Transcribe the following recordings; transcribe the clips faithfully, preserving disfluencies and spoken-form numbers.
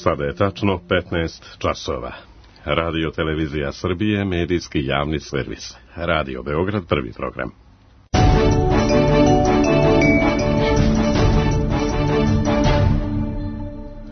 Sada je tačno petnaest časova. Radio Televizija Srbije, medijski javni servis. Radio Beograd, prvi program.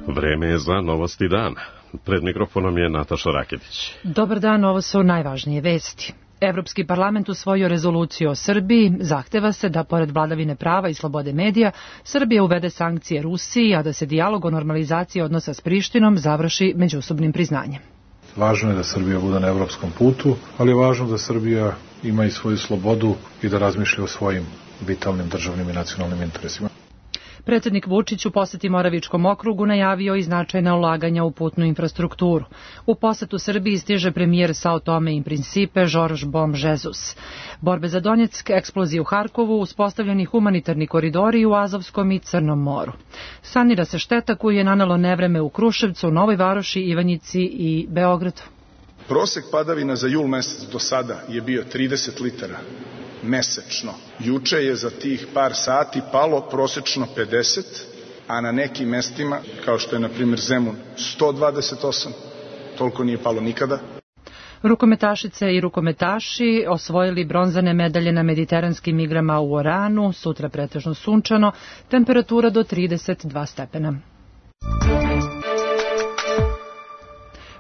Vreme je za novosti dana. Pred mikrofonom je Nataša Raketić. Dobar dan, ovo su najvažnije vesti. Evropski parlament usvojio rezoluciju o Srbiji, zahteva se da, pored vladavine prava i slobode medija, Srbija uvede sankcije Rusiji, a da se dijalog o normalizaciji odnosa s Prištinom završi međusobnim priznanjem. Važno je da Srbija bude na evropskom putu, ali je važno da Srbija ima i svoju slobodu i da razmišlja o svojim vitalnim državnim i nacionalnim interesima. Predsjednik Vučić u poseti Moravičkom okrugu najavio i značajna ulaganja u putnu infrastrukturu. U posetu Srbiji stiže premijer Sao Tome i Principe Jorge Bom Jesus. Borbe za Donjeck, eksplozije u Harkovu, uspostavljeni humanitarni koridori u Azovskom i Crnom moru. Sanira se šteta koju je nanelo nevreme u Kruševcu, Novoj Varoši, Ivanjici i Beogradu. Prosek padavina za jul mesec do sada je bio trideset litara mesečno. Juče je za tih par sati palo prosečno pedeset, a na nekim mestima, kao što je na primjer Zemun, sto dvadeset osam, toliko nije palo nikada. Rukometašice i rukometaši osvojili bronzane medalje na mediteranskim igrama u Oranu, sutra pretežno sunčano, temperatura do trideset dva stepena.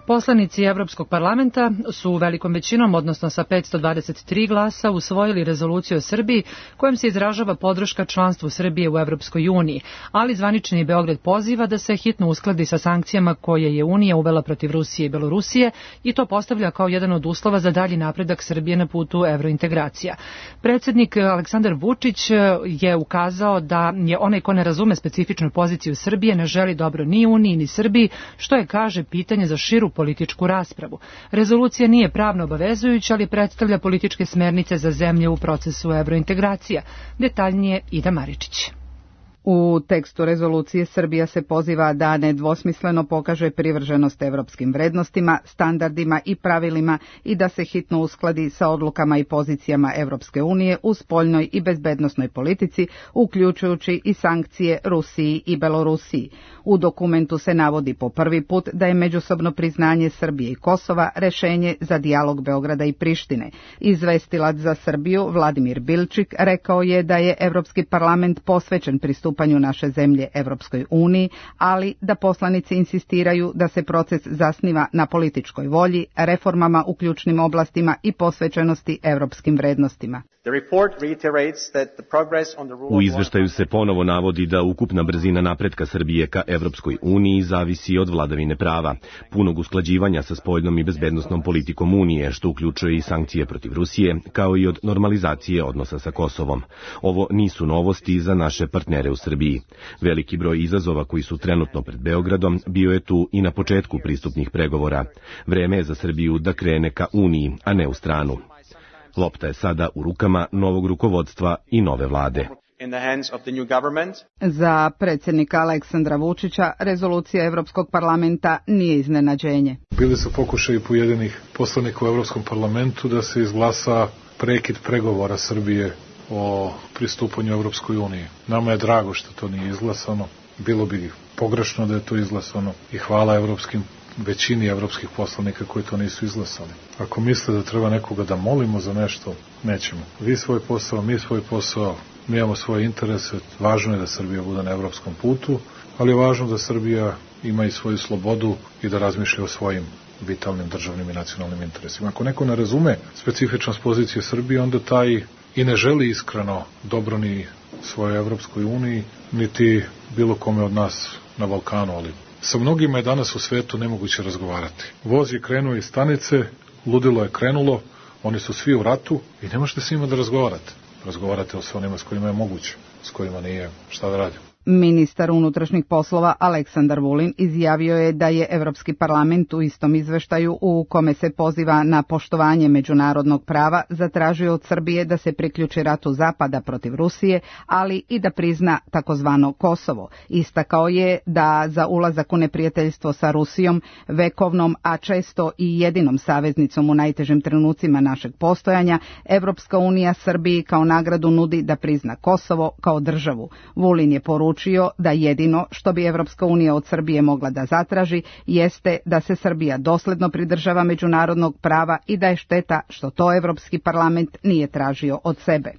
Poslanici Evropskog parlamenta su velikom većinom, odnosno sa petsto dvadeset tri glasa, usvojili rezoluciju o Srbiji kojom se izražava podrška članstvu Srbije u Evropskoj uniji, ali zvanični Beograd poziva da se hitno uskladi sa sankcijama koje je Unija uvela protiv Rusije i Belorusije i to postavlja kao jedan od uslova za dalji napredak Srbije na putu evrointegracija. Predsjednik Aleksandar Vučić je ukazao da je onaj ko ne razume specifičnu poziciju Srbije ne želi dobro ni Uniji ni Srbiji, što je, kaže, pitanje za širu političku raspravu. Rezolucija nije pravno obavezujuća, ali predstavlja političke smernice za zemlje u procesu evrointegracija. Detaljnije Ida Maričić. U tekstu rezolucije Srbija se poziva da nedvosmisleno pokaže privrženost evropskim vrednostima, standardima i pravilima i da se hitno uskladi sa odlukama i pozicijama Evropske unije u spoljnoj i bezbednosnoj politici, uključujući i sankcije Rusiji i Belorusiji. U dokumentu se navodi po prvi put da je međusobno priznanje Srbije i Kosova rešenje za dijalog Beograda i Prištine. Izvestilac za Srbiju Vladimir Bilčik rekao je da je Evropski parlament posvećen pristupanju naše zemlje Evropskoj uniji, ali da poslanici insistiraju da se proces zasniva na političkoj volji, reformama u ključnim oblastima i posvećenosti evropskim vrednostima. U izveštaju se ponovo navodi da ukupna brzina napretka Srbije ka Evropskoj uniji zavisi od vladavine prava, punog usklađivanja sa spoljnom i bezbednosnom politikom Unije, što uključuje i sankcije protiv Rusije, kao i od normalizacije odnosa sa Kosovom. Ovo nisu novosti za naše partnere u Srbiji. Veliki broj izazova koji su trenutno pred Beogradom bio je tu i na početku pristupnih pregovora. Vreme je za Srbiju da krene ka Uniji, a ne u stranu. Lopta je sada u rukama novog rukovodstva i nove vlade. Za predsjednika Aleksandra Vučića rezolucija Evropskog parlamenta nije iznenađenje. Bili su pokušaji pojedinih poslanika u Evropskom parlamentu da se izglasa prekid pregovora Srbije o pristupanju Evropskoj uniji. Nama je drago što to nije izglasano. Bilo bi pogrešno da je to izglasano i hvala evropskim većini evropskih poslanika koji to nisu izglasali. Ako misle da treba nekoga da molimo za nešto, nećemo. Vi svoj posao, mi svoj posao, mi imamo svoje interese. Važno je da Srbija bude na evropskom putu, ali je važno da Srbija ima i svoju slobodu i da razmišlja o svojim vitalnim državnim i nacionalnim interesima. Ako neko ne razume specifičnost pozicije Srbije, onda taj i ne želi iskreno dobro ni svojoj Evropskoj uniji, niti bilo kome od nas na Balkanu, ali sa mnogima je danas u svetu nemoguće razgovarati. Voz je krenuo iz stanice, ludilo je krenulo, oni su svi u ratu i ne možete s njima da razgovarate. Razgovarate o onima s kojima je moguće, s kojima nije, šta da radimo. Ministar unutrašnjih poslova Aleksandar Vulin izjavio je da je Evropski parlament u istom izveštaju u kome se poziva na poštovanje međunarodnog prava zatražio od Srbije da se priključi ratu Zapada protiv Rusije, ali i da prizna takozvano Kosovo. Istakao je da za ulazak u neprijateljstvo sa Rusijom, vekovnom, a često i jedinom saveznicom u najtežim trenucima našeg postojanja, Evropska unija Srbiji kao nagradu nudi da prizna Kosovo kao državu. Vulin je poručio poručio da jedino što bi Evropska unija od Srbije mogla da zatraži jeste da se Srbija dosledno pridržava međunarodnog prava i da je šteta što to Evropski parlament nije tražio od sebe.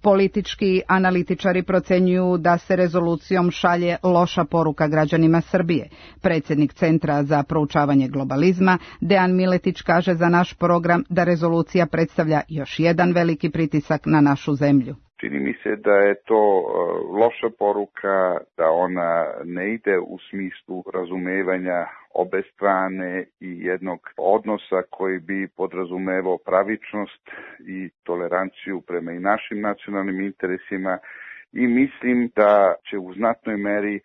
Politički analitičari procenjuju da se rezolucijom šalje loša poruka građanima Srbije. Predsjednik Centra za proučavanje globalizma, Dejan Miletić, kaže za naš program da rezolucija predstavlja još jedan veliki pritisak na našu zemlju. Čini mi se da je to loša poruka, da ona ne ide u smislu razumevanja obe strane i jednog odnosa koji bi podrazumevao pravičnost i toleranciju prema i našim nacionalnim interesima, i mislim da će u znatnoj meri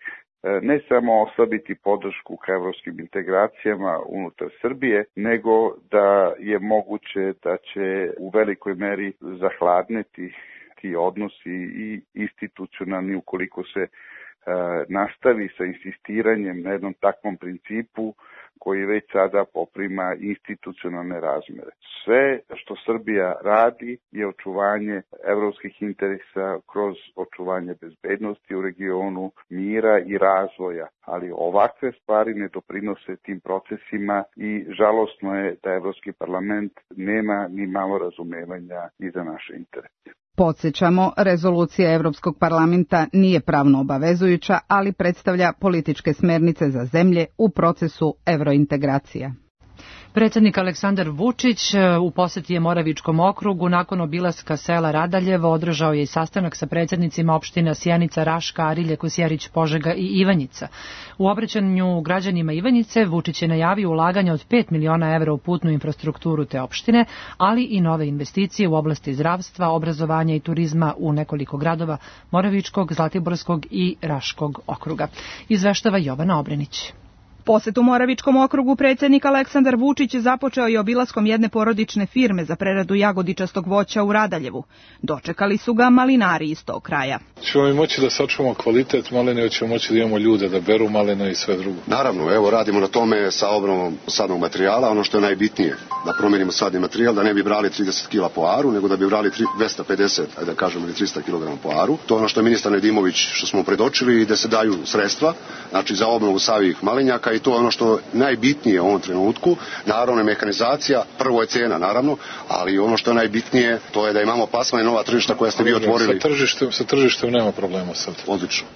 ne samo oslabiti podršku ka evropskim integracijama unutar Srbije, nego da je moguće da će u velikoj meri zahladneti ti odnosi i institucionalni ukoliko se e, nastavi sa insistiranjem na jednom takvom principu koji već sada poprima institucionalne razmere. Sve što Srbija radi je očuvanje evropskih interesa kroz očuvanje bezbednosti u regionu, mira i razvoja, ali ovakve stvari ne doprinose tim procesima i žalosno je da Evropski parlament nema ni malo razumevanja i za naše interese. Podsjećamo, rezolucija Evropskog parlamenta nije pravno obavezujuća, ali predstavlja političke smernice za zemlje u procesu evrointegracija. Predsjednik Aleksandar Vučić u posjeti je Moravičkom okrugu. Nakon obilaska sela Radaljevo održao je i sastanak sa predsjednicima opština Sjenica, Raška, Arilje, Kosjerić, Požega i Ivanjica. U obraćanju građanima Ivanjice Vučić je najavio ulaganje od pet miliona evra u putnu infrastrukturu te opštine, ali i nove investicije u oblasti zdravstva, obrazovanja i turizma u nekoliko gradova Moravičkog, Zlatiborskog i Raškog okruga. Izveštava Jovana Obrenić. Posjet u Moravičkom okrugu predsjednik Aleksandar Vučić započeo je obilaskom jedne porodične firme za preradu jagodičastog voća u Radaljevu. Dočekali su ga malinari iz tog kraja. Ćemo mi moći da sačuvamo kvalitet maline, ćemo moći da imamo ljude da beru maline i sve drugo. Naravno, evo radimo na tome sa obnovom sadnog materijala, ono što je najbitnije, da promijenimo sadni materijal, da ne bi brali trideset kila po aru, nego da bi brali dvesta pedeset, ajde da kažemo, ili trista kilograma po aru. To je ono što je ministar Nedimović što smo predočili i da se daju sredstva, znači za obnovu savih malinjaka. I to je ono što je najbitnije u ovom trenutku. Naravno je mehanizacija, prvo je cena naravno, ali ono što je najbitnije to je da imamo plasman i nova tržišta koja ste vi otvorili. Sa tržištem, sa tržištem nema problema sad. Odlično.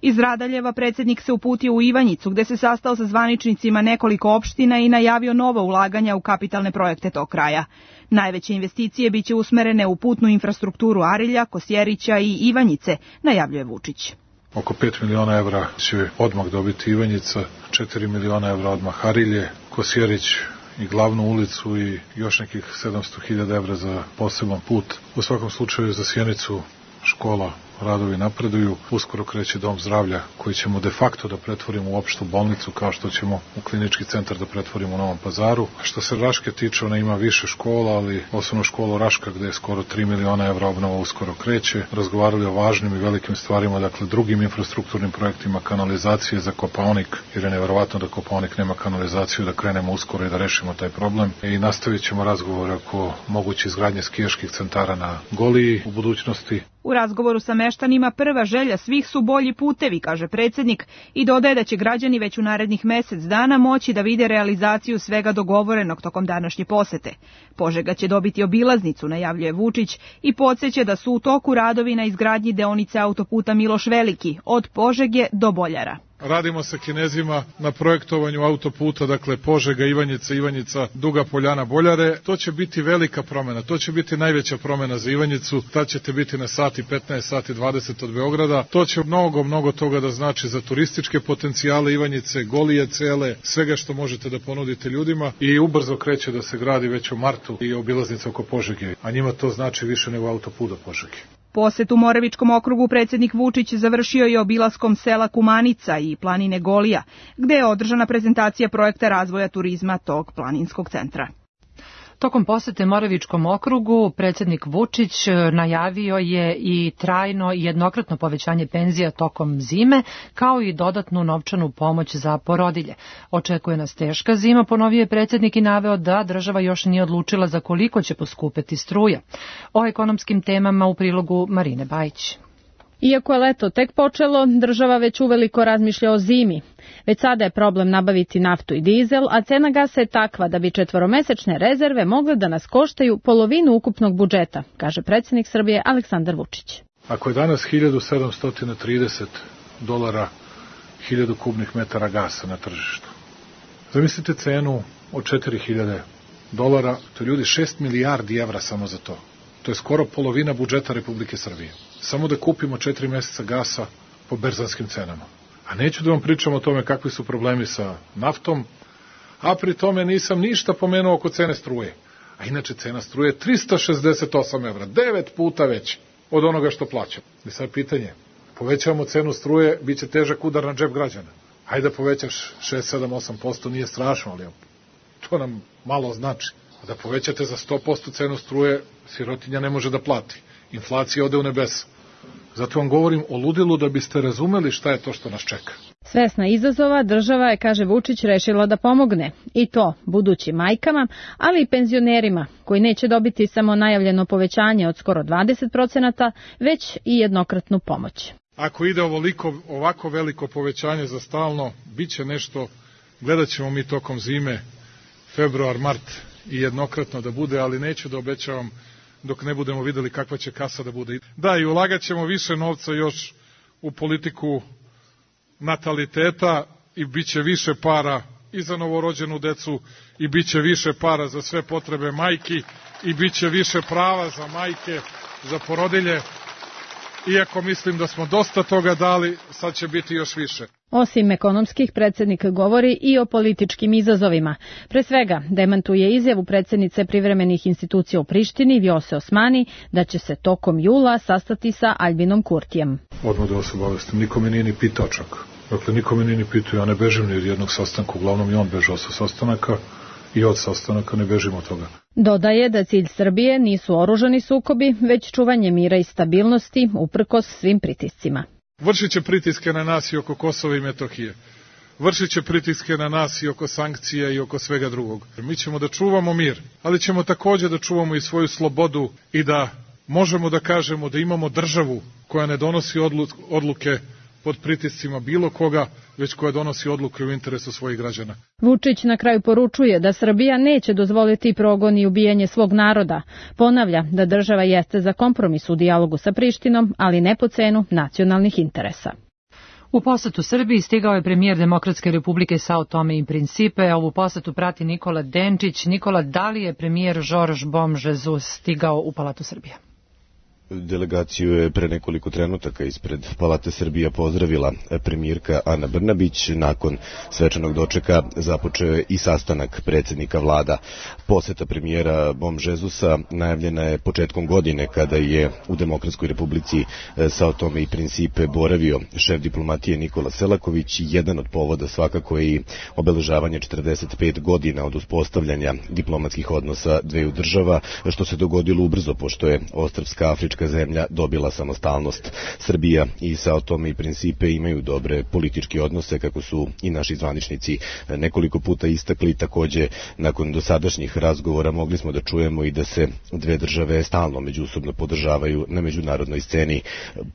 Iz Radaljeva predsjednik se uputio u Ivanjicu, gde se sastao sa zvaničnicima nekoliko opština i najavio nova ulaganja u kapitalne projekte tog kraja. Najveće investicije biće usmerene u putnu infrastrukturu Arilja, Kosjerića i Ivanjice, najavljuje Vučić. Oko pet miliona evra će odmah dobiti Ivanjica, četiri miliona evra odmah Arilje, Kosjerić i glavnu ulicu i još nekih sedamsto hiljada evra za poseban put. U svakom slučaju za Sjenicu škola, radovi napreduju. Uskoro kreće dom zdravlja koji ćemo de facto da pretvorimo u opštu bolnicu, kao što ćemo u klinički centar da pretvorimo u Novom Pazaru. Što se Raške tiče, ona ima više škola, ali osnovnu školu Raška gde je skoro tri miliona evra obnova uskoro kreće. Razgovarali o važnim i velikim stvarima, dakle drugim infrastrukturnim projektima, kanalizacije za Kopaonik, jer je neverovatno da Kopaonik nema kanalizaciju, da krenemo uskoro i da rešimo taj problem. I nastavit ćemo razgovore oko moguće izgradnje skijaških centara na Goliji u budućnosti. U razgovoru sa meštanima prva želja svih su bolji putevi, kaže predsjednik, i dodaje da će građani već u narednih mesec dana moći da vide realizaciju svega dogovorenog tokom današnje posete. Požega će dobiti obilaznicu, najavljuje Vučić, i podsjeća da su u toku radovi na izgradnji deonice autoputa Miloš Veliki, od Požege do Boljara. Radimo sa Kinezima na projektovanju autoputa, dakle Požega, Ivanjica, Ivanjica, Duga Poljana, Boljare. To će biti velika promjena, to će biti najveća promjena za Ivanjicu, tad ćete biti na sati petnaest, sati dvadeset od Beograda. To će mnogo, mnogo toga da znači za turističke potencijale Ivanjice, Golije cele, svega što možete da ponudite ljudima, i ubrzo kreće da se gradi već u martu i obilaznica oko Požege, a njima to znači više nego autoput do Požege. Posjet u Moravičkom okrugu predsjednik Vučić završio je obilaskom sela Kumanica i planine Golija, gde je održana prezentacija projekta razvoja turizma tog planinskog centra. Tokom posete Moravičkom okrugu predsjednik Vučić najavio je i trajno i jednokratno povećanje penzija tokom zime, kao i dodatnu novčanu pomoć za porodilje. Očekuje nas teška zima, ponovio je predsjednik i naveo da država još nije odlučila za koliko će poskupeti struja. O ekonomskim temama u prilogu Marine Bajić. Iako je leto tek počelo, država već uveliko razmišlja o zimi. Već sada je problem nabaviti naftu i dizel, a cena gasa je takva da bi četvoromesečne rezerve mogle da nas koštaju polovinu ukupnog budžeta, kaže predsjednik Srbije Aleksandar Vučić. Ako je danas hiljadu sedamsto trideset dolara hiljadu kubnih metara gasa na tržištu, zamislite cenu od četiri hiljade dolara, to je ljudi šest milijardi evra samo za to. To je skoro polovina budžeta Republike Srbije. Samo da kupimo četiri meseca gasa po berzanskim cenama. A neću da vam pričam o tome kakvi su problemi sa naftom, a pri tome nisam ništa pomenuo oko cene struje. A inače cena struje je trista šezdeset osam evra, devet puta veća od onoga što plaćam. I sad pitanje, povećavamo cenu struje, bit će težak udar na džep građana. Hajde da povećaš šest, sedam, osam posto, nije strašno, ali to nam malo znači. A da povećate za sto posto cenu struje, sirotinja ne može da plati. Inflacija ode u nebesa. Zato vam govorim o ludilu da biste razumeli šta je to što nas čeka. Svesna izazova, država je, kaže Vučić, rešila da pomogne. I to budućim majkama, ali i penzionerima, koji neće dobiti samo najavljeno povećanje od skoro dvadeset procenata, već i jednokratnu pomoć. Ako ide ovoliko, ovako veliko povećanje za stalno, bit će nešto, gledat ćemo mi tokom zime, februar, mart i jednokratno da bude, ali neću da obećavam dok ne budemo videli kakva će kasa da bude. Da, i ulagat ćemo više novca još u politiku nataliteta i bit će više para i za novorođenu decu i bit će više para za sve potrebe majki i bit će više prava za majke, za porodilje. Iako mislim da smo dosta toga dali, sad će biti još više. Osim ekonomskih, predsjednik govori i o političkim izazovima. Pre svega, demantuje izjavu predsjednice privremenih institucija u Prištini, Vjose Osmani, da će se tokom jula sastati sa Aljbinom Kurtijem. Odmah da vas obavestim, niko me nije ni pitao čak. Dakle, niko me nije ni pitao, ja ne bežim ni od jednog sastanka, uglavnom i on bežao sa sastanaka i od sastanaka ne bežimo od toga. Dodaje da cilj Srbije nisu oružani sukobi, već čuvanje mira i stabilnosti uprkos svim pritiscima. Vršit će pritiske na nas i oko Kosova i Metohije. Vršit će pritiske na nas i oko sankcija i oko svega drugog. Mi ćemo da čuvamo mir, ali ćemo također da čuvamo i svoju slobodu i da možemo da kažemo da imamo državu koja ne donosi odluke pod pritiscima bilo koga, već koja donosi odluke u interesu svojih građana. Vučić na kraju poručuje da Srbija neće dozvoliti progon i ubijanje svog naroda. Ponavlja da država jeste za kompromis u dijalogu sa Prištinom, ali ne po cenu nacionalnih interesa. U posetu Srbiji stigao je premijer Demokratske republike Sao Tome i Principe. Ovu posetu prati Nikola Denčić. Nikola, da li je premijer Jorge Bom Jesus stigao u Palatu Srbije? Delegaciju je pre nekoliko trenutaka ispred Palate Srbija pozdravila premijerka Ana Brnabić. Nakon svečanog dočeka započeo je i sastanak predsjednika vlada. Poseta premijera Bom Jesusa najavljena je početkom godine kada je u Demokratskoj republici Sao Tome i Principe boravio šef diplomatije Nikola Selaković. Jedan od povoda svakako je i obeležavanje četrdeset pet godina od uspostavljanja diplomatskih odnosa dveju država, što se dogodilo ubrzo pošto je ostrvska Afrička zemlja dobila samostalnost. Srbija i Sao Tome i Principe imaju dobre političke odnose, kako su i naši zvaničnici nekoliko puta istakli. Također, nakon dosadašnjih razgovora mogli smo da čujemo i da se dve države stalno međusobno podržavaju na međunarodnoj sceni.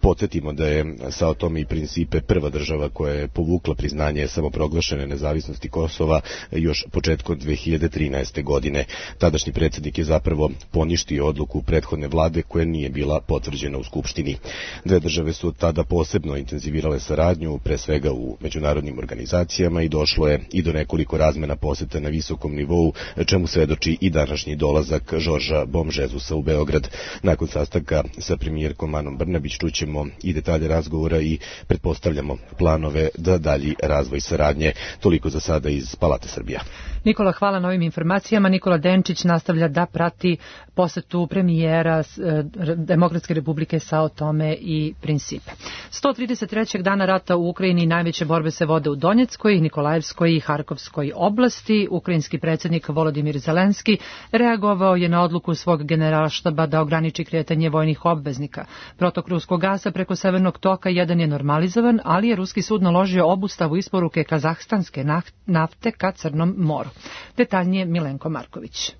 Podsjetimo da je Sao Tome i Principe prva država koja je povukla priznanje samoproglašene nezavisnosti Kosova još početkom dve hiljade trinaeste. godine. Tadašnji predsjednik je zapravo poništio odluku prethodne vlade koja nije bila potvrđena u Skupštini. Dve države su tada posebno intenzivirale saradnju, pre svega u međunarodnim organizacijama, i došlo je i do nekoliko razmena poseta na visokom nivou, čemu svedoči i današnji dolazak Jorgea Bom Jesusa u Beograd. Nakon sastanka sa premijerkom Anom Brnabić čućemo i detalje razgovora i pretpostavljamo planove da dalji razvoj saradnje. Toliko za sada iz Palate Srbija. Nikola, hvala na ovim informacijama. Nikola Denčić nastavlja da prati posetu premijera Demokratske republike Sao Tome i Principe. sto trideset trećeg dana rata u Ukrajini najveće borbe se vode u Donjeckoj, Nikolajevskoj i Harkovskoj oblasti. Ukrajinski predsjednik Volodimir Zelenski reagovao je na odluku svog generalštaba da ograniči kretanje vojnih obveznika. Protok ruskog gasa preko Severnog toka jedan je normalizovan, ali je ruski sud naložio obustavu isporuke kazahstanske nafte ka Crnom moru. Detaljnije Milenko Marković.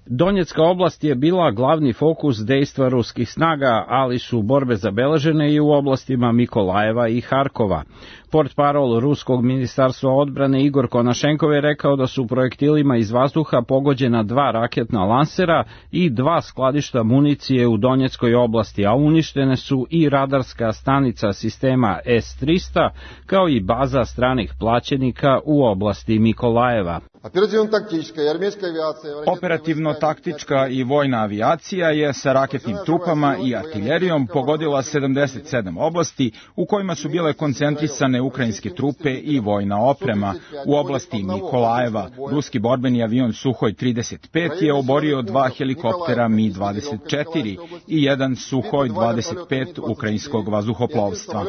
Donjecka oblast je bila glavni fokus dejstva ruskih snaga, ali su borbe zabeležene i u oblastima Mikolajeva i Harkova. Portparol Ruskog ministarstva odbrane Igor Konašenkov je rekao da su projektilima iz vazduha pogođena dva raketna lansera i dva skladišta municije u Donjeckoj oblasti, a uništene su i radarska stanica sistema S tristo, kao i baza stranih plaćenika u oblasti Mikolajeva. Operativno-taktička i vojna avijacija je sa raketnim trupama i artiljerijom pogodila sedamdeset sedam oblasti u kojima su bile koncentrisane ukrajinske trupe i vojna oprema. U oblasti Mikolajeva ruski borbeni avion Suhoj trideset pet je oborio dva helikoptera Mi dvadeset četiri i jedan Suhoj dvadeset pet ukrajinskog vazduhoplovstva.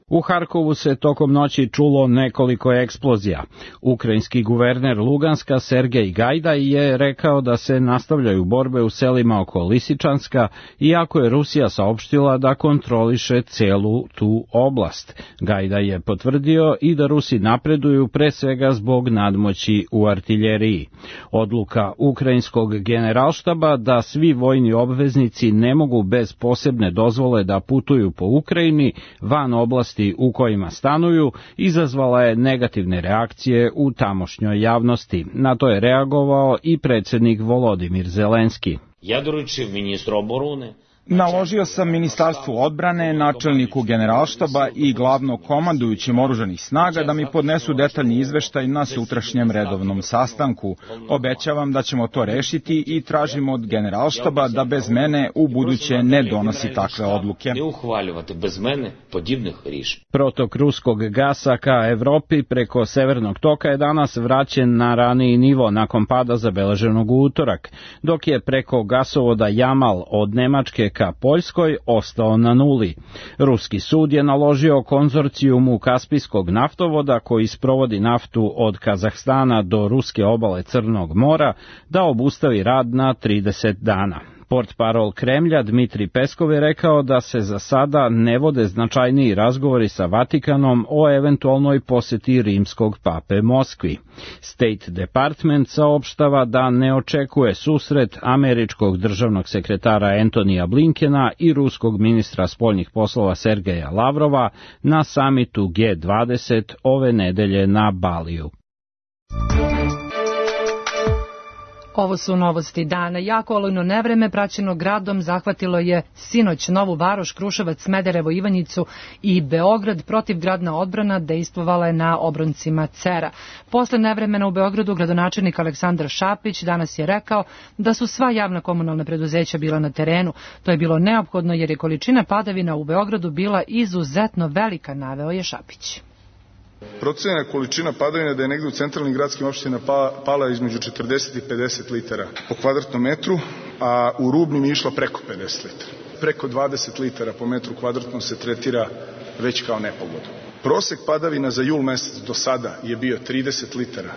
U Harkovu se tokom noći čulo nekoliko eksplozija. Ukrajinski guverner Luganska Sergej Gajdaj je rekao da se nastavljaju borbe u selima oko Lisičanska, iako je Rusija saopštila da kontroliše celu tu oblast. Gajdaj je potvrdio i da Rusi napreduju pre svega zbog nadmoći u artiljeriji. Odluka ukrajinskog generalštaba da svi vojni obveznici ne mogu bez posebne dozvole da putuju po Ukrajini van oblasti u kojima stanuju izazvala je negativne reakcije u tamošnjoj javnosti. Na to je reagovao i predsjednik Volodimir Zelenski. Ja doručив ministru obrane Naložio sam Ministarstvu odbrane, načelniku generalštaba i glavno komandujućim oružanih snaga da mi podnesu detaljni izveštaj na sutrašnjem redovnom sastanku. Obećavam da ćemo to rešiti i tražimo od generalštaba da bez mene u buduće ne donosi takve odluke. Protok ruskog gasa ka Evropi preko Severnog toka je danas vraćen na raniji nivo nakon pada zabeleženog u utorak, dok je preko gasovoda Jamal od Nemačke ka Poljskoj ostao na nuli. Ruski sud je naložio konzorcijumu Kaspijskog naftovoda koji sprovodi naftu od Kazahstana do ruske obale Crnog mora da obustavi rad na trideset dana. Portparol Kremlja Dmitri Peskov je rekao da se za sada ne vode značajniji razgovori sa Vatikanom o eventualnoj poseti rimskog pape Moskvi. State Department saopštava da ne očekuje susret američkog državnog sekretara Antonija Blinkena i ruskog ministra spoljnih poslova Sergeja Lavrova na samitu G dvadeset ove nedelje na Baliju. Ovo su novosti dana. Jako olujno nevreme praćeno gradom zahvatilo je sinoć Novu Varoš, Kruševac, Smederevo, Ivanjicu i Beograd. Protivgradna odbrana dejstvovala je na obroncima Cera. Posle nevremena u Beogradu gradonačelnik Aleksandar Šapić danas je rekao da su sva javna komunalna preduzeća bila na terenu. To je bilo neophodno jer je količina padavina u Beogradu bila izuzetno velika, naveo je Šapić. Procenjena količina padavina da je negde u centralnim gradskim opštinama pala između četrdeset i pedeset litara po kvadratnom metru, a u rubnim je išla preko pedeset litara. Preko dvadeset litara po metru kvadratnom se tretira već kao nepogoda. Prosek padavina za jul mesec do sada je bio trideset litara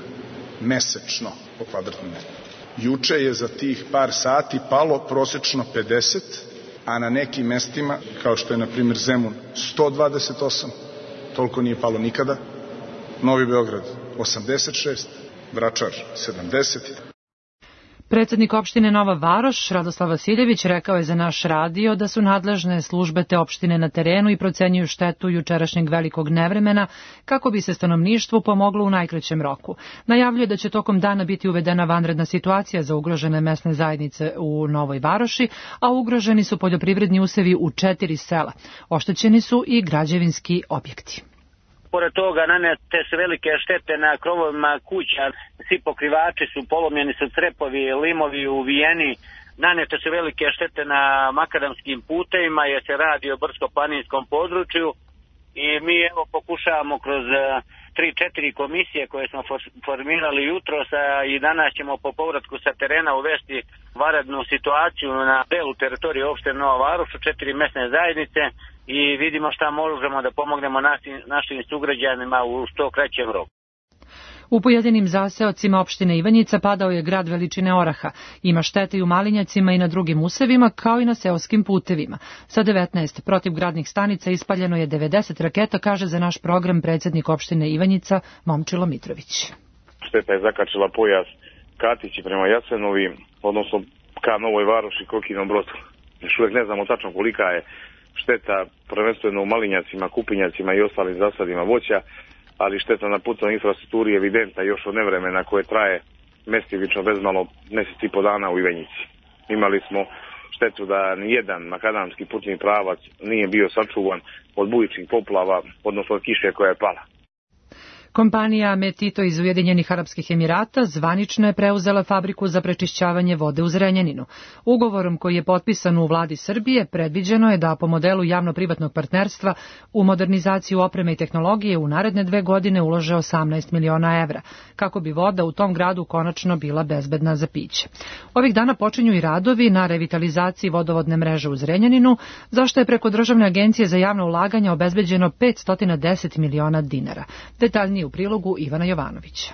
mesečno po kvadratnom metru. Juče je za tih par sati palo prosečno pedeset, a na nekim mestima, kao što je na primjer Zemun, sto dvadeset osam, toliko nije palo nikada. Novi Beograd osamdeset šest, Vračar sedamdeset. Predsednik opštine Nova Varoš, Radoslav Vasiljević, rekao je za naš radio da su nadležne službe te opštine na terenu i procenjuju štetu jučerašnjeg velikog nevremena kako bi se stanovništvu pomoglo u najkraćem roku. Najavljuje da će tokom dana biti uvedena vanredna situacija za ugrožene mesne zajednice u Novoj Varoši, a ugroženi su poljoprivredni usevi u četiri sela. Oštećeni su i građevinski objekti. Pored toga nanete su velike štete na krovovima kuća, svi pokrivači su polomljeni, su crepovi, limovi uvijeni, nanete su velike štete na makadamskim putevima jer se radi o brdsko-planinskom području i mi evo pokušavamo kroz tri četiri komisije koje smo formirali jutros i danas ćemo po povratku sa terena uvesti vanrednu situaciju na delu teritorije opštine Nova Varoš u četiri mesne zajednice i vidimo šta možemo da pomognemo našim, našim sugrađanima u što kraćem roku. U pojedinim zaseocima opštine Ivanjica padao je grad veličine oraha. Ima štete i u Malinjacima i na drugim usevima, kao i na seoskim putevima. Sa devetnaest protivgradnih stanica ispaljeno je devedeset raketa, kaže za naš program predsjednik opštine Ivanjica Momčilo Mitrović. Šteta je zakačila pojas Katići prema Jasenovi, odnosno ka Novoj Varoši, Kokinom Brodu. Još uvijek ne znamo tačno kolika je šteta, prvenstveno u malinjacima, kupinjacima i ostalim zasadima voća, ali šteta na putnoj infrastrukturi je evidentna još od nevremena koje traje mestimično bezmalo mjesec i po dana u Ivanjici. Imali smo štetu da nijedan makadamski putni pravac nije bio sačuvan od bujičnih poplava, odnosno od kiše koja je pala. Kompanija Metito iz Ujedinjenih Arapskih Emirata zvanično je preuzela fabriku za prečišćavanje vode u Zrenjaninu. Ugovorom koji je potpisan u vladi Srbije predviđeno je da po modelu javno-privatnog partnerstva u modernizaciju opreme i tehnologije u naredne dve godine ulože osamnaest miliona evra, kako bi voda u tom gradu konačno bila bezbedna za piće. Ovih dana počinju i radovi na revitalizaciji vodovodne mreže u Zrenjaninu, zašto je preko Državne agencije za javna ulaganja obezbeđeno petsto deset miliona dinara. Detaljnije u prilogu Ivana Jovanovića.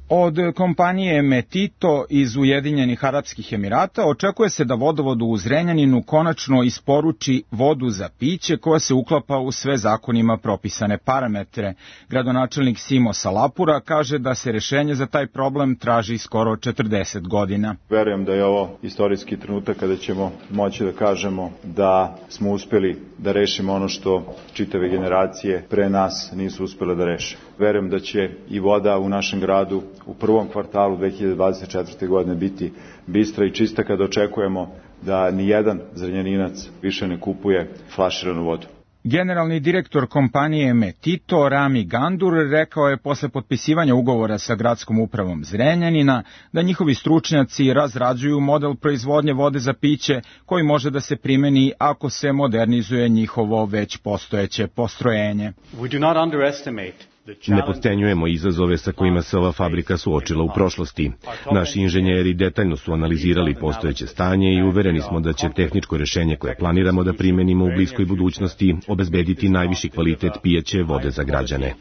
Od kompanije Metito iz Ujedinjenih Arapskih Emirata očekuje se da vodovod u Zrenjaninu konačno isporuči vodu za piće koja se uklapa u sve zakonima propisane parametre. Gradonačelnik Simo Salapura kaže da se rešenje za taj problem traži skoro četrdeset godina. Verujem da je ovo istorijski trenutak kada ćemo moći da kažemo da smo uspeli da rešimo ono što čitave generacije pre nas nisu uspele da reše. Verujem da će i voda u našem gradu u prvom kvartalu dve hiljade dvadeset četvrte. godine biti bistra i čista kada očekujemo da ni jedan Zrenjaninac više ne kupuje flaširanu vodu. Generalni direktor kompanije Metito, Rami Gandur, rekao je posle potpisivanja ugovora sa gradskom upravom Zrenjanina da njihovi stručnjaci razrađuju model proizvodnje vode za piće koji može da se primeni ako se modernizuje njihovo već postojeće postrojenje. We do not underestimate Ne potcenjujemo izazove sa kojima se ova fabrika suočila u prošlosti. Naši inženjeri detaljno su analizirali postojeće stanje i uvereni smo da će tehničko rešenje koje planiramo da primenimo u bliskoj budućnosti obezbediti najviši kvalitet pijaće vode za građane.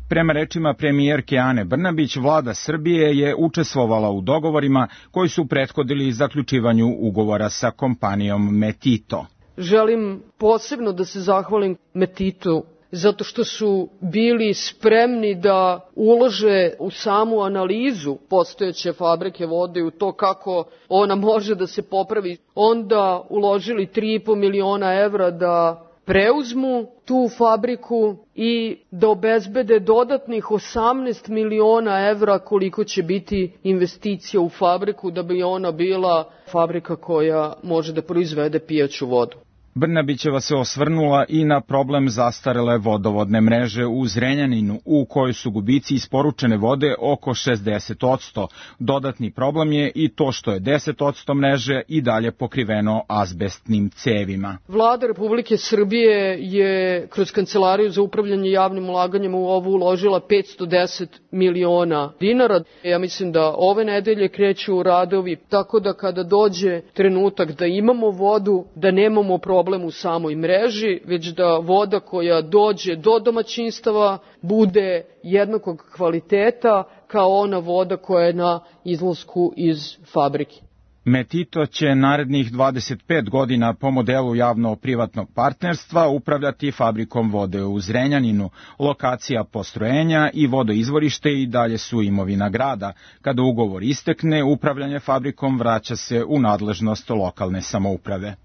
Prema rečima premijerke Ane Brnabić, vlada Srbije je učestvovala u dogovorima koji su prethodili zaključivanju ugovora sa kompanijom Metito. Želim posebno da se zahvalim Metitu zato što su bili spremni da ulože u samu analizu postojeće fabrike vode i u to kako ona može da se popravi. Onda uložili tri i po miliona evra da preuzmu tu fabriku i da obezbede dodatnih osamnaest miliona evra koliko će biti investicija u fabriku da bi ona bila fabrika koja može da proizvede pijaću vodu. Brnabićeva se osvrnula i na problem zastarele vodovodne mreže u Zrenjaninu, u kojoj su gubici isporučene vode oko šezdeset posto. Dodatni problem je i to što je deset posto mreže i dalje pokriveno azbestnim cevima. Vlada Republike Srbije je kroz Kancelariju za upravljanje javnim ulaganjima u ovu uložila petsto deset miliona dinara. Ja mislim da ove nedelje kreću radovi, tako da kada dođe trenutak da imamo vodu, da nemamo problem problem u samoj mreži, već da voda koja dođe do domaćinstava bude jednakog kvaliteta kao ona voda koja je na izlasku iz fabrike. Metito će narednih dvadeset pet godina po modelu javno-privatnog partnerstva upravljati fabrikom vode u Zrenjaninu. Lokacija postrojenja i vodoizvorište i dalje su imovina grada. Kada ugovor istekne, upravljanje fabrikom vraća se u nadležnost lokalne samouprave.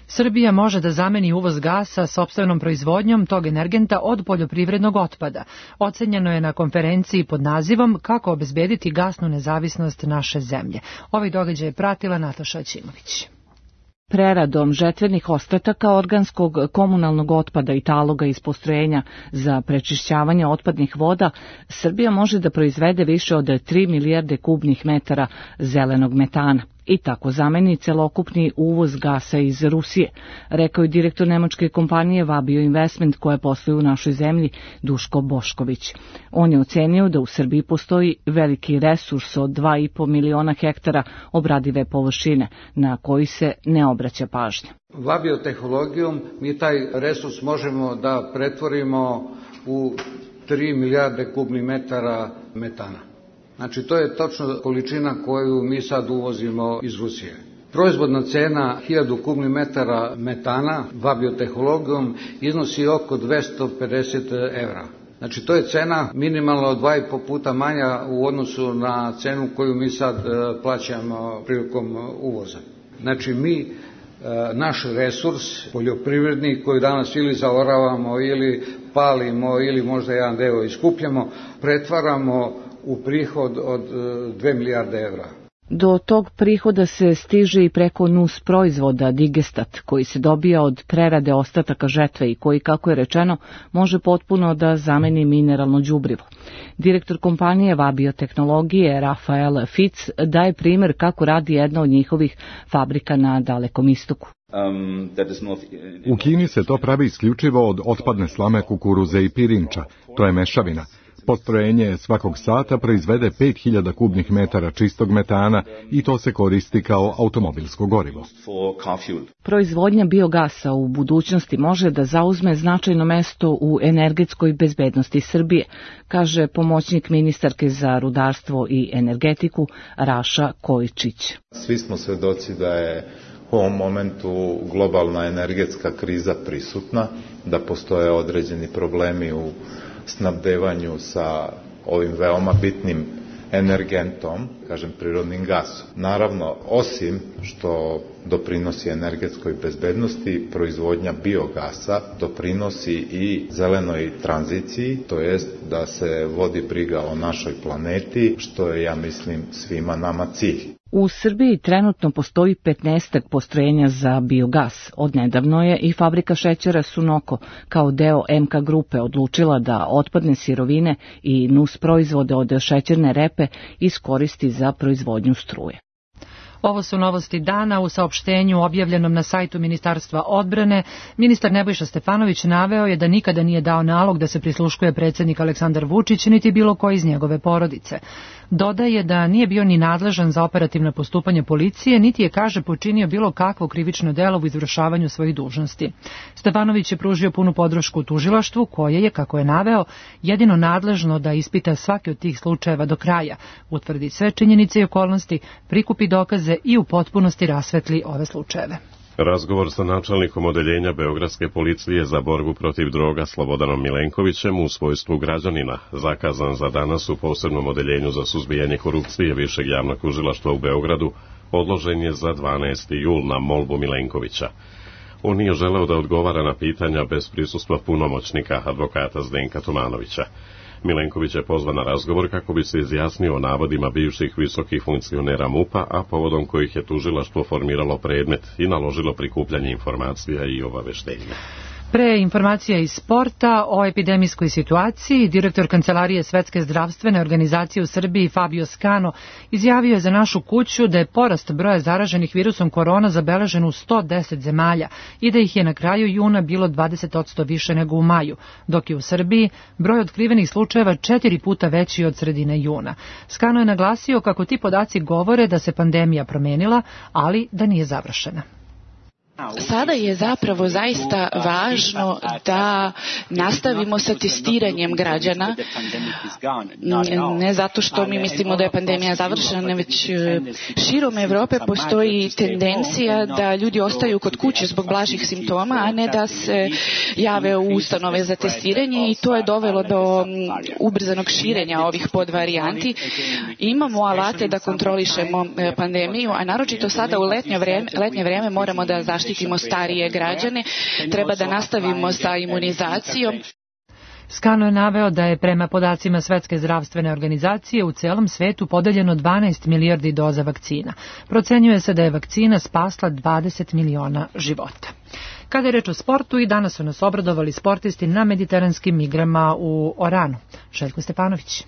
Srbija može da zameni uvoz gasa sopstvenom proizvodnjom tog energenta od poljoprivrednog otpada. Ocenjeno je na konferenciji pod nazivom Kako obezbediti gasnu nezavisnost naše zemlje. Ovaj događaj je pratila Nataša Ćimović. Preradom žetvenih ostataka organskog komunalnog otpada i taloga iz postrojenja za prečišćavanje otpadnih voda, Srbija može da proizvede više od tri milijarde kubnih metara zelenog metana i tako zameni celokupni uvoz gasa iz Rusije, rekao je direktor nemačke kompanije Vabio Investment koja posluje u našoj zemlji Duško Bošković. On je ocenio da u Srbiji postoji veliki resurs od dva i po miliona hektara obradive površine na koji se ne obraća pažnja. Vabiotehnologijom mi taj resurs možemo da pretvorimo u tri milijarde kubnih metara metana. Znači, to je točno količina koju mi sad uvozimo iz Rusije. Proizvodna cena hiljadu kubnih metara metana vabiotehnologijom iznosi oko dvesta pedeset evra. Znači to je cena minimalno dva i po puta manja u odnosu na cenu koju mi sad plaćamo prilikom uvoza. Znači mi naš resurs poljoprivredni koji danas ili zaoravamo ili palimo ili možda jedan deo iskupljamo, pretvaramo u prihod od dve milijarde evra. Do tog prihoda se stiže i preko nus proizvoda Digestat, koji se dobija od prerade ostataka žetve i koji, kako je rečeno, može potpuno da zameni mineralno đubrivo. Direktor kompanije Vabiotehnologije Rafael Fitz daje primjer kako radi jedna od njihovih fabrika na Dalekom istoku. U Kini se to pravi isključivo od otpadne slame kukuruze i pirinča. To je mešavina. Postrojenje svakog sata proizvede pet hiljada kubnih metara čistog metana i to se koristi kao automobilsko gorivo. Proizvodnja biogasa u budućnosti može da zauzme značajno mesto u energetskoj bezbednosti Srbije, kaže pomoćnik ministarke za rudarstvo i energetiku Raša Kojičić. Svi smo svedoci da je u ovom momentu globalna energetska kriza prisutna, da postoje određeni problemi u snabdevanju sa ovim veoma bitnim energentom, kažem prirodnim gasom. Naravno, osim što doprinosi energetskoj bezbednosti, proizvodnja biogasa doprinosi i zelenoj tranziciji, to jest da se vodi briga o našoj planeti, što je, ja mislim, svima nama cilj. U Srbiji trenutno postoji petnaestak postrojenja za biogas. Odnedavno je i fabrika šećera Sunoko kao deo M K grupe odlučila da otpadne sirovine i nus proizvode od šećerne repe iskoristi za proizvodnju struje. Ovo su novosti dana. U saopštenju objavljenom na sajtu Ministarstva odbrane, ministar Nebojša Stefanović naveo je da nikada nije dao nalog da se prisluškuje predsjednik Aleksandar Vučić niti bilo ko iz njegove porodice. Dodaje da nije bio ni nadležan za operativno postupanje policije, niti je, kaže, počinio bilo kakvo krivično delo u izvršavanju svojih dužnosti. Stefanović je pružio punu podršku tužilaštvu, koje je, kako je naveo, jedino nadležno da ispita svaki od tih slučajeva do kraja, utvrdi sve činjenice i okolnosti, prikupi dokaze i u potpunosti rasvetli ove slučajeve. Razgovor sa načelnikom odeljenja Beogradske policije za borbu protiv droga Slobodanom Milenkovićem u svojstvu građanina, zakazan za danas u posebnom odeljenju za suzbijanje korupcije Višeg javnog tužilaštva u Beogradu, odložen je za dvanaesti jul na molbu Milenkovića. On nije želeo da odgovara na pitanja bez prisustva punomoćnika advokata Zdenka Tomanovića. Milenković je pozvan na razgovor kako bi se izjasnio o navodima bivših visokih funkcionera M U P-a, a povodom kojih je tužilaštvo formiralo predmet i naložilo prikupljanje informacija i obaveštenja. Pre informacija iz sporta o epidemijskoj situaciji, direktor Kancelarije Svetske zdravstvene organizacije u Srbiji Fabio Scano izjavio je za Našu kuću da je porast broja zaraženih virusom korona zabeležen u sto deset zemalja i da ih je na kraju juna bilo dvadeset posto više nego u maju, dok je u Srbiji broj otkrivenih slučajeva četiri puta veći od sredine juna. Scano je naglasio kako ti podaci govore da se pandemija promenila, ali da nije završena. Sada je zapravo zaista važno da nastavimo sa testiranjem građana, ne zato što mi mislimo da je pandemija završena, već širom Evrope postoji tendencija da ljudi ostaju kod kuće zbog blažih simptoma, a ne da se jave u ustanove za testiranje i to je dovelo do ubrzanog širenja ovih podvarijanti. Imamo alate da kontrolišemo pandemiju, a naročito sada u letnje vreme, letnje vreme moramo da zaštitimo štitimo starije građane, treba da nastavimo sa imunizacijom. Scano je naveo da je prema podacima Svetske zdravstvene organizacije u celom svetu podeljeno dvanaest milijardi doza vakcina. Procenjuje se da je vakcina spasla dvadeset miliona života. Kada je reč o sportu, i danas su nas obradovali sportisti na mediteranskim igrama u Oranu. Željko Stefanović.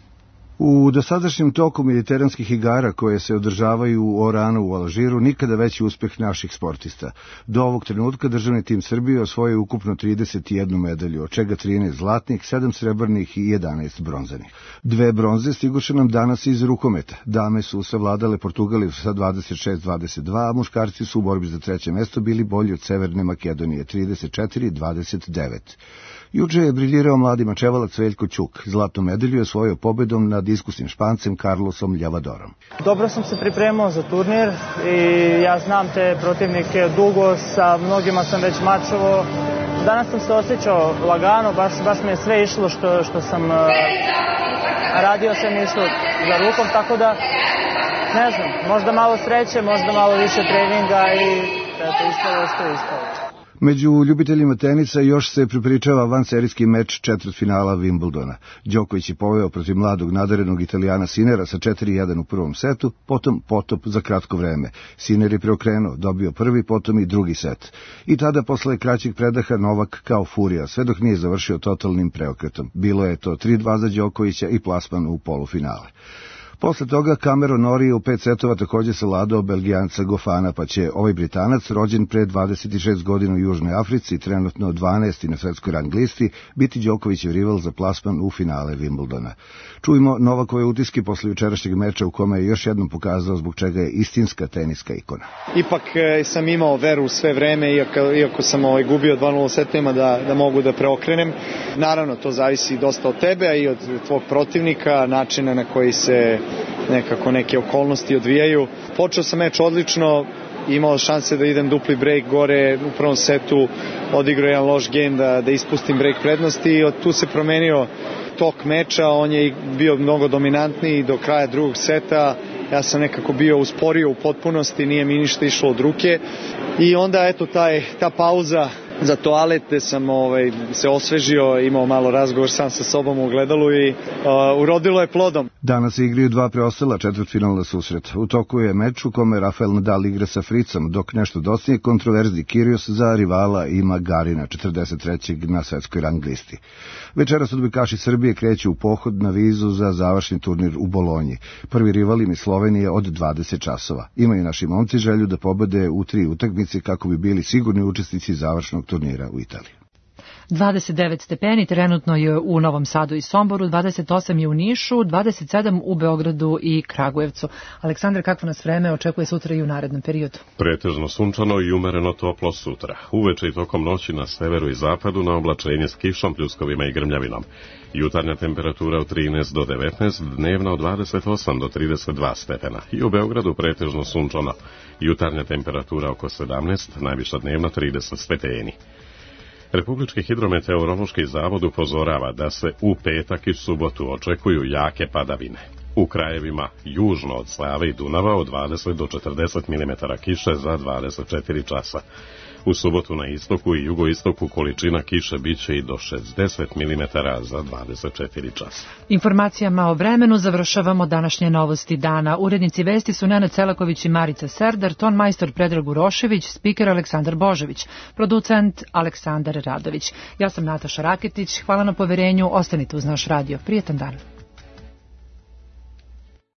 U dosadašnjem toku mediteranskih igara koje se održavaju u Oranu u Alžiru nikada veći uspeh naših sportista. Do ovog trenutka državni tim Srbije osvojio ukupno trideset jednu medalju, od čega trinaest zlatnih, sedam srebrnih i jedanaest bronzanih. Dve bronze stiguše nam danas iz rukometa. Dame su savladale Portugaliju sa dvadeset šest dvadeset dva, a muškarci su u borbi za treće mesto bili bolji od Severne Makedonije trideset četiri dvadeset devet. Juče je briljirao mladi mačevalac Veljko Ćuk. Zlatnu medalju je osvojio pobedom nad iskusnim Špancem Carlosom Ljavadorom. Dobro sam se pripremao za turnir i ja znam te protivnike dugo, sa mnogima sam već mačovao. Danas sam se osjećao lagano, baš, baš mi je sve išlo što, što sam uh, radio, sve mi išlo za rukom, tako da, ne znam, možda malo sreće, možda malo više treninga i eto, ispalo što je ispalo. Među ljubiteljima tenisa još se pripričava vanserijski meč četvrtfinala Wimbledona. Đoković je poveo protiv mladog nadarenog Italijana Sinera sa četiri jedan u prvom setu, potom potop za kratko vreme. Siner je preokrenuo, dobio prvi, potom i drugi set. I tada, posle kraćeg predaha, Novak kao furija, sve dok nije završio totalnim preokretom. Bilo je to tri dva za Đokovića i plasman u polufinale. Posle toga Cameron Norrie u pet setova takođe savladao Belgijanca Gofana, pa će ovaj Britanac, rođen pre dvadeset šest godina u Južnoj Africi, trenutno dvanaesti na svetskoj rang listi, biti Đokovićev rival za plasman u finale Wimbledona. Čujmo Novakove utiske posle jučerašnjeg meča u kome je još jednom pokazao zbog čega je istinska teniska ikona. Ipak e, sam imao veru sve vreme, iako, iako sam ovaj, gubio dva nula setima da, da mogu da preokrenem. Naravno, to zavisi dosta od tebe, a i od tvog protivnika, načina na koji se nekako neke okolnosti odvijaju. Počeo sam meč odlično, imao šanse da idem dupli break gore u prvom setu, odigrao jedan loš game da, da ispustim break prednosti i od tu se promenio tok meča, on je bio mnogo dominantniji do kraja drugog seta, ja sam nekako bio usporio u potpunosti, nije mi ništa išlo od ruke i onda eto taj, ta pauza za toalet gde sam ovaj, se osvežio, imao malo razgovor sam sa sobom u ogledalu i uh, urodilo je plodom. Danas se igraju dva preostala četvrtfinalna susreta. U toku je meč u kome Rafael Nadal igra sa Fricom, dok nešto dostigne kontroverzni Kyrgios za rivala ima Garina, četrdeset trećeg na svetskoj rang listi. Večeras odbojkaši Srbije kreću u pohod na vizu za završni turnir u Bolonji. Prvi rival im je Slovenija od dvadeset časova. Imaju naši momci želju da pobede u tri utakmice kako bi bili sigurni učesnici završnog turnira u Italiji. dvadeset devet stepeni trenutno je u Novom Sadu i Somboru, dvadeset osam je u Nišu, dvadeset sedam u Beogradu i Kragujevcu. Aleksandar, kakvo nas vreme očekuje sutra i u narednom periodu? Pretežno sunčano i umereno toplo sutra. Uveče i tokom noći na severu i zapadu na oblačenje s kišom, pljuskovima i grmljavinom. Jutarnja temperatura od trinaest do devetnaest, dnevna od dvadeset osam do trideset dva stepena. I u Beogradu pretežno sunčano. Jutarnja temperatura oko sedamnaest, najviša dnevna trideset stepeni. Republički hidrometeorološki zavod upozorava da se u petak i subotu očekuju jake padavine. U krajevima južno od Save i Dunava od dvadeset do četrdeset milimetara kiše za dvadeset četiri časa. U subotu na istoku i jugoistoku količina kiše biće i do šezdeset milimetara za dvadeset četiri časa. Informacijama o vremenu završavamo današnje novosti dana. Urednici vesti su Nenad Celaković i Marica Serdar, ton majstor Predrag Urošević, spiker Aleksandar Božović, producent Aleksandar Radović. Ja sam Nataša Raketić, hvala na poverenju, ostanite uz naš radio. Prijetan dan.